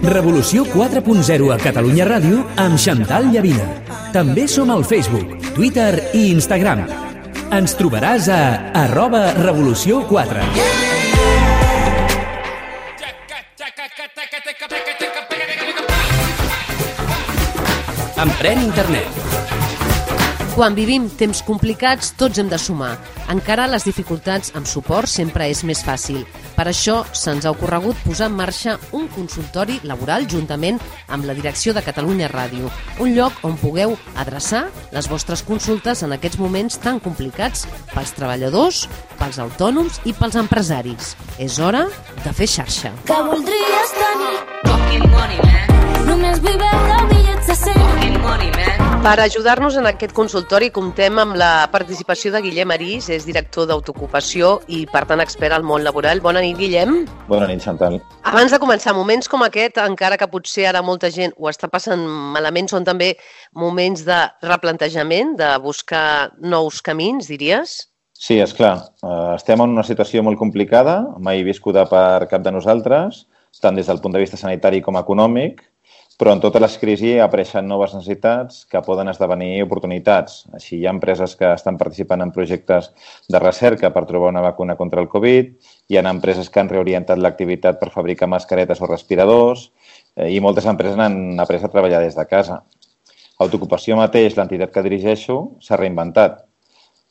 Revolució 4.0 a Catalunya Ràdio amb Xantal Llavina. També som al Facebook, Twitter i Instagram. Ens trobaràs a @revolució4. Emprèn internet. Quan vivim temps complicats, tots hem de sumar. Encara les dificultats amb suport sempre és més fàcil. Per això se'ns ha ocorregut posar en marxa un consultori laboral juntament amb la direcció de Catalunya Ràdio. Un lloc on pugueu adreçar les vostres consultes en aquests moments tan complicats pels treballadors, pels autònoms i pels empresaris. És hora de fer xarxa. Que voldries tenir fucking money, man. Només vull veure bitllets de 100. Fucking money, man. Per ajudar-nos en aquest consultori comptem amb la participació de Guillem Arís, és director d'Autoocupació i, per tant, expert al món laboral. Bona nit, Guillem. Bona nit, Xantal. Abans de començar, moments com aquest, encara que potser ara molta gent ho està passant malament, són també moments de replantejament, de buscar nous camins, diries? Sí, esclar. Estem en una situació molt complicada, mai viscuda per cap de nosaltres, tant des del punt de vista sanitari com econòmic, però en totes les crisis apareixen noves necessitats que poden esdevenir oportunitats. Així hi ha empreses que estan participant en projectes de recerca per trobar una vacuna contra el Covid, hi ha empreses que han reorientat l'activitat per fabricar mascaretes o respiradors i moltes empreses han après a treballar des de casa. Autoocupació mateix, l'entitat que dirigeixo, s'ha reinventat.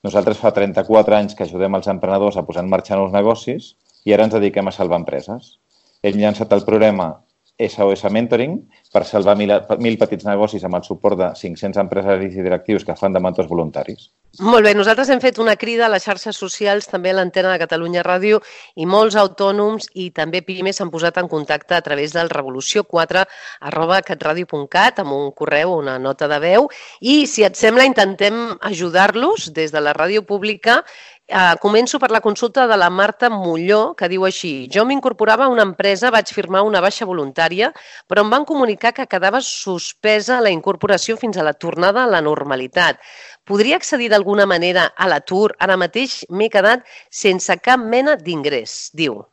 Nosaltres fa 34 anys que ajudem els emprenedors a posar en marxa nous negocis i ara ens dediquem a salvar empreses. Hem llançat el programa SOS Mentoring per salvar 1.000 petits negocis amb el suport de 500 empresaris i directius que fan de mentors voluntaris. Molt bé, nosaltres hem fet una crida a les xarxes socials, també a l'antena de Catalunya Ràdio, i molts autònoms i també pimes s'han posat en contacte a través del revolució4@catradio.cat amb un correu, una nota de veu, i si et sembla intentem ajudar-los des de la ràdio pública. Començo per la consulta de la Marta Molló, que diu així: jo m'incorporava a una empresa, vaig firmar una baixa voluntària, però em van comunicar que quedava suspesa la incorporació fins a la tornada a la normalitat. Podria accedir d'alguna manera a l'atur? Ara mateix m'he quedat sense cap mena d'ingrés, diu.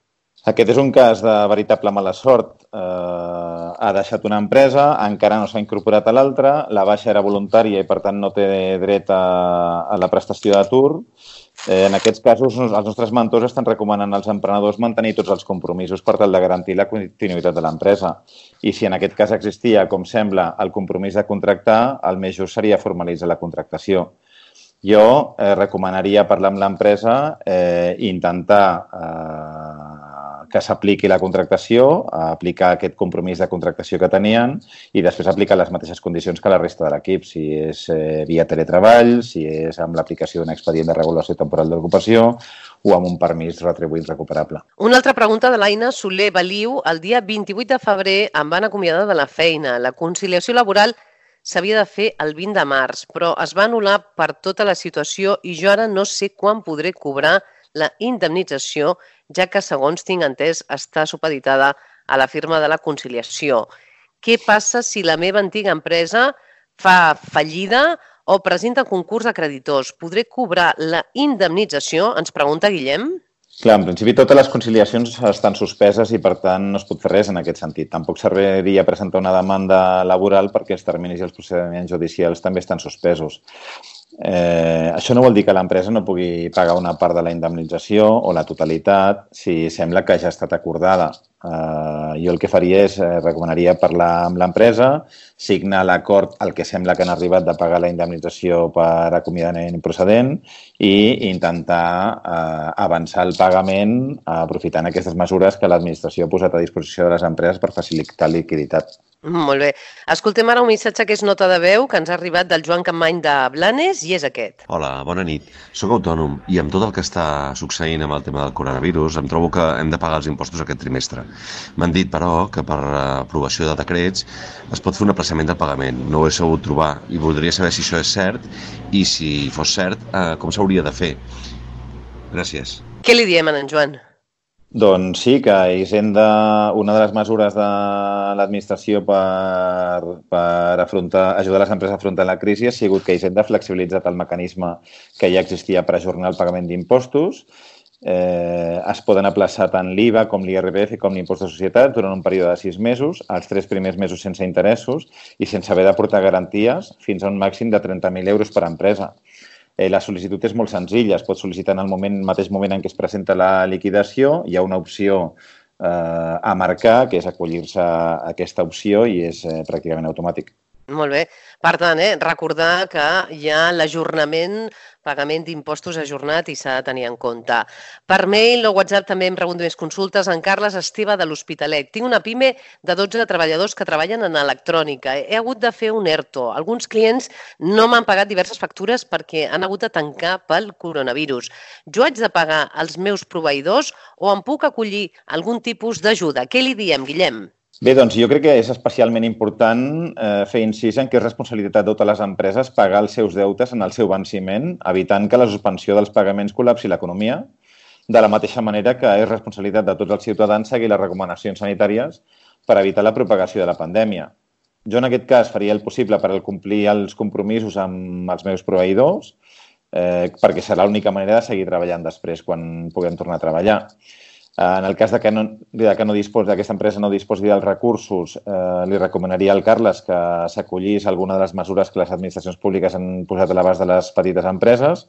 Aquest és un cas de veritable mala sort. Ha deixat una empresa, encara no s'ha incorporat a l'altra, la baixa era voluntària i, per tant, no té dret a la prestació d'atur. En aquests casos, els nostres mentors estan recomanant als emprenedors mantenir tots els compromisos per tal de garantir la continuïtat de l'empresa. I si en aquest cas existia, com sembla, el compromís de contractar, el més just seria formalitzar la contractació. Jo recomanaria parlar amb l'empresa i intentar que s'apliqui la contractació, aplicar aquest compromís de contractació que tenien i després aplicar les mateixes condicions que la resta de l'equip, si és via teletreball, si és amb l'aplicació d'un expedient de regulació temporal d'ocupació o amb un permís retribuït recuperable. Una altra pregunta de l'Aina Soler Baliu. El dia 28 de febrer em van acomiadar de la feina. La conciliació laboral s'havia de fer el 20 de març, però es va anul·lar per tota la situació i jo ara no sé quan podré cobrar la indemnització, ja que, segons tinc entès, està supeditada a la firma de la conciliació. Què passa si la meva antiga empresa fa fallida o presenta concurs de creditors? Podré cobrar la indemnització? Ens pregunta Guillem. Clar, en principi totes les conciliacions estan suspeses i, per tant, no es pot fer res en aquest sentit. Tampoc serviria presentar una demanda laboral perquè els terminis i els procediments judicials també estan suspesos. Això no vol dir que l'empresa no pugui pagar una part de la indemnització o la totalitat si sembla que ja ha estat acordada. Jo el que faria és, recomanaria parlar amb l'empresa, signar l'acord al que sembla que han arribat de pagar la indemnització per acomiadament improcedent i intentar avançar el pagament aprofitant aquestes mesures que l'administració ha posat a disposició de les empreses per facilitar liquiditat. Molt bé. Escoltem ara un missatge que és nota de veu que ens ha arribat del Joan Campmany de Blanes i és aquest. Hola, bona nit. Soc autònom i amb tot el que està succeint amb el tema del coronavirus em trobo que hem de pagar els impostos aquest trimestre. M'han dit, però, que per aprovació de decrets es pot fer un aplaçament del pagament. No ho he sabut trobar i voldria saber si això és cert i, si fos cert, com s'hauria de fer. Gràcies. Què li diem a en Joan? Doncs sí, que Hisenda, una de les mesures de l'administració per ajudar les empreses a afrontar la crisi ha sigut que Hisenda ha flexibilitzat el mecanisme que ja existia per ajornar el pagament d'impostos Es poden aplaçar tant l'IVA com l'IRPF com l'impost de societat durant un període de 6 mesos, els 3 primers mesos sense interessos i sense haver d'aportar garanties fins a un màxim de 30.000 euros per empresa. La sol·licitud és molt senzilla, es pot sol·licitar en el mateix moment en què es presenta la liquidació, hi ha una opció a marcar, que és acollir-se a aquesta opció i és pràcticament automàtic. Molt bé. Per tant, recordar que hi ha l'ajornament, pagament d'impostos ajornat i s'ha de tenir en compte. Per mail o WhatsApp també em rebut més consultes. En Carles Esteve de l'Hospitalet. Tinc una pime de 12 treballadors que treballen en electrònica. He hagut de fer un ERTO. Alguns clients no m'han pagat diverses factures perquè han hagut de tancar pel coronavirus. Jo haig de pagar als meus proveïdors o em puc acollir algun tipus d'ajuda? Què li diem, Guillem? Bé, doncs jo crec que és especialment important fer incís en que és responsabilitat de totes les empreses pagar els seus deutes en el seu venciment, evitant que la suspensió dels pagaments col·lapsi l'economia, de la mateixa manera que és responsabilitat de tots els ciutadans seguir les recomanacions sanitàries per evitar la propagació de la pandèmia. Jo en aquest cas faria el possible per complir els compromisos amb els meus proveïdors, perquè serà l'única manera de seguir treballant després quan puguem tornar a treballar. En el cas de que aquesta empresa no disposi dels recursos, li recomanaria al Carles que s'acollís a alguna de les mesures que les administracions públiques han posat a l'abast de les petites empreses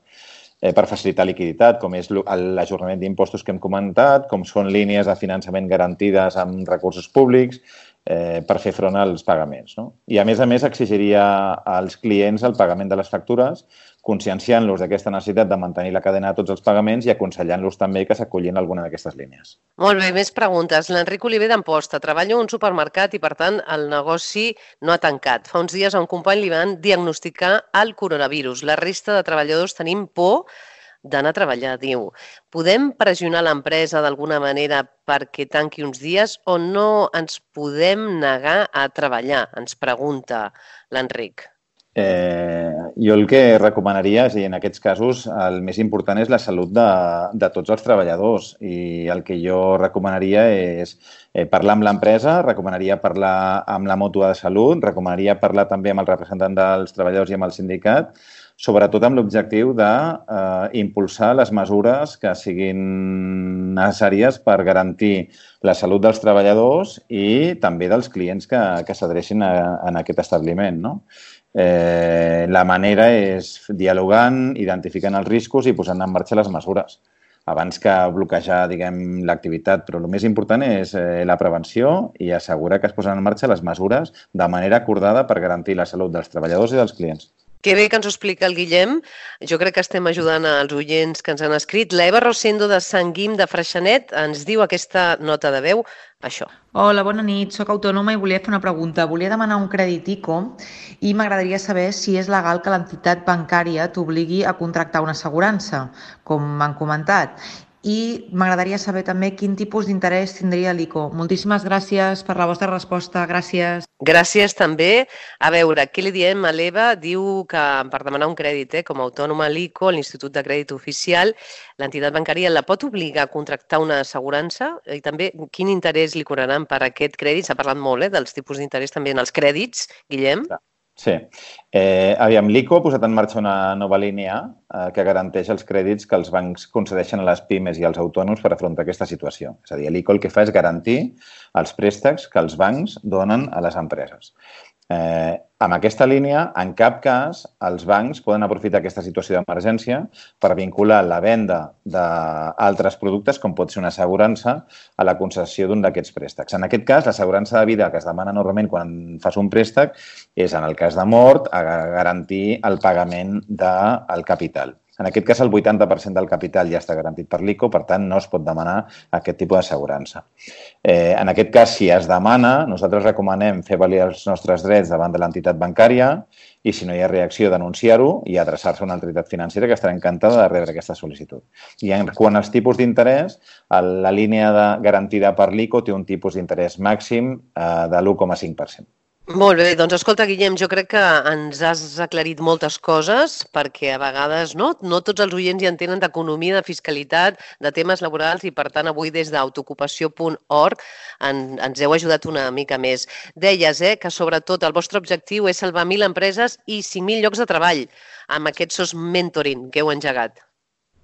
per facilitar liquiditat, com és l'ajornament d'impostos que hem comentat, com són línies de finançament garantides amb recursos públics per fer front als pagaments. I, a més, exigiria als clients el pagament de les factures, conscienciant-los d'aquesta necessitat de mantenir la cadena de tots els pagaments i aconsellant-los també que s'acollin a alguna d'aquestes línies. Molt bé, més preguntes. L'Enric Oliver d'Amposta. Treballo en un supermercat i, per tant, el negoci no ha tancat. Fa uns dies a un company li van diagnosticar el coronavirus. La resta de treballadors tenim por d'anar a treballar, diu. Podem pressionar l'empresa d'alguna manera perquè tanqui uns dies o no ens podem negar a treballar? Ens pregunta l'Enric. Jo el que recomanaria, és a dir, en aquests casos, el més important és la salut de tots els treballadors i el que jo recomanaria és parlar amb l'empresa, recomanaria parlar amb la mútua de salut, recomanaria parlar també amb el representant dels treballadors i amb el sindicat, sobretot amb l'objectiu d'impulsar les mesures que siguin necessàries per garantir la salut dels treballadors i també dels clients que s'adrecin en aquest establiment, no? La manera és dialogant, identificant els riscos i posant en marxa les mesures abans que bloquejar, diguem, l'activitat. Però el més important és la prevenció i assegurar que es posen en marxa les mesures de manera acordada per garantir la salut dels treballadors i dels clients. Que bé que ens ho explica el Guillem. Jo crec que estem ajudant als oients que ens han escrit. La Eva Rosendo de Sant Guim de Freixenet ens diu aquesta nota de veu, això. Hola, bona nit. Soc autònoma i volia fer una pregunta. Volia demanar un crèdit ICO i m'agradaria saber si és legal que l'entitat bancària t'obligui a contractar una assegurança, com m'han comentat. I m'agradaria saber també quin tipus d'interès tindria l'ICO. Moltíssimes gràcies per la vostra resposta. Gràcies. Gràcies també. A veure, què li diem a l'Eva? Diu que per demanar un crèdit com a autònoma a l'ICO, l'Institut de Crèdit Oficial, l'entitat bancària la pot obligar a contractar una assegurança? I també quin interès li cobraran per aquest crèdit? S'ha parlat molt dels tipus d'interès també en els crèdits, Guillem. Sí. Aviam, l'ICO ha posat en marxa una nova línia que garanteix els crèdits que els bancs concedeixen a les pimes i als autònoms per afrontar aquesta situació. És a dir, l'ICO el que fa és garantir els préstecs que els bancs donen a les empreses. Amb aquesta línia, en cap cas, els bancs poden aprofitar aquesta situació d'emergència per vincular la venda d'altres productes, com pot ser una assegurança, a la concessió d'un d'aquests préstecs. En aquest cas, l'assegurança de vida que es demana normalment quan fas un préstec és, en el cas de mort, a garantir el pagament del capital. En aquest cas, el 80% del capital ja està garantit per l'ICO, per tant, no es pot demanar aquest tipus d'assegurança. En aquest cas, si es demana, nosaltres recomanem fer valer els nostres drets davant de l'entitat bancària i, si no hi ha reacció, denunciar-ho i adreçar-se a una entitat financera que estarà encantada de rebre aquesta sol·licitud. I quant als tipus d'interès, la línia garantida per l'ICO té un tipus d'interès màxim de l'1,5%. Molt bé, doncs escolta, Guillem, jo crec que ens has aclarit moltes coses perquè a vegades no tots els oients hi entenen d'economia, de fiscalitat, de temes laborals i, per tant, avui des d'autoocupació.org ens heu ajudat una mica més. Deies que sobretot el vostre objectiu és salvar 1.000 empreses i 5.000 llocs de treball amb aquest SOS Mentoring que heu engegat.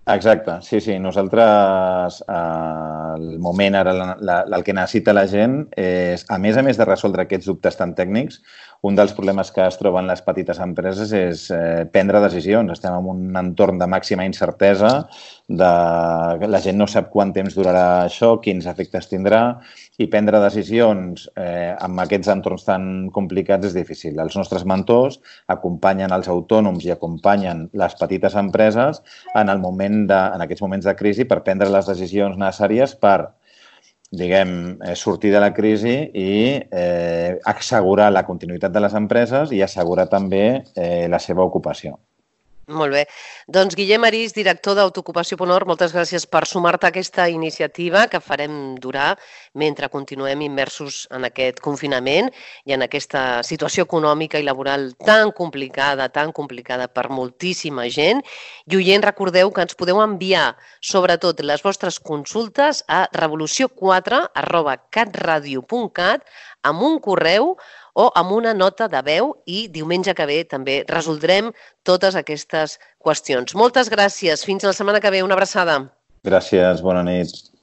Exacte, sí. Nosaltres, al moment ara, el que necessita la gent és, a més de resoldre aquests dubtes tan tècnics, un dels problemes que es troben les petites empreses és prendre decisions. Estem en un entorn de màxima incertesa, la gent no sap quant temps durarà això, quins efectes tindrà, i prendre decisions en aquests entorns tan complicats és difícil. Els nostres mentors acompanyen els autònoms i acompanyen les petites empreses en aquests moments de crisi per prendre les decisions necessàries per, sortir de la crisi i assegurar la continuïtat de les empreses i assegurar també la seva ocupació. Molt bé. Doncs Guillem Arís, director d'Autoocupació.org, moltes gràcies per sumar-te a aquesta iniciativa que farem durar mentre continuem immersos en aquest confinament i en aquesta situació econòmica i laboral tan complicada per moltíssima gent. I oients, recordeu que ens podeu enviar sobretot les vostres consultes a revolució4@catradio.cat amb un correu o amb una nota de veu i diumenge que ve també resoldrem totes aquestes qüestions. Moltes gràcies. Fins la setmana que ve. Una abraçada. Gràcies. Bona nit.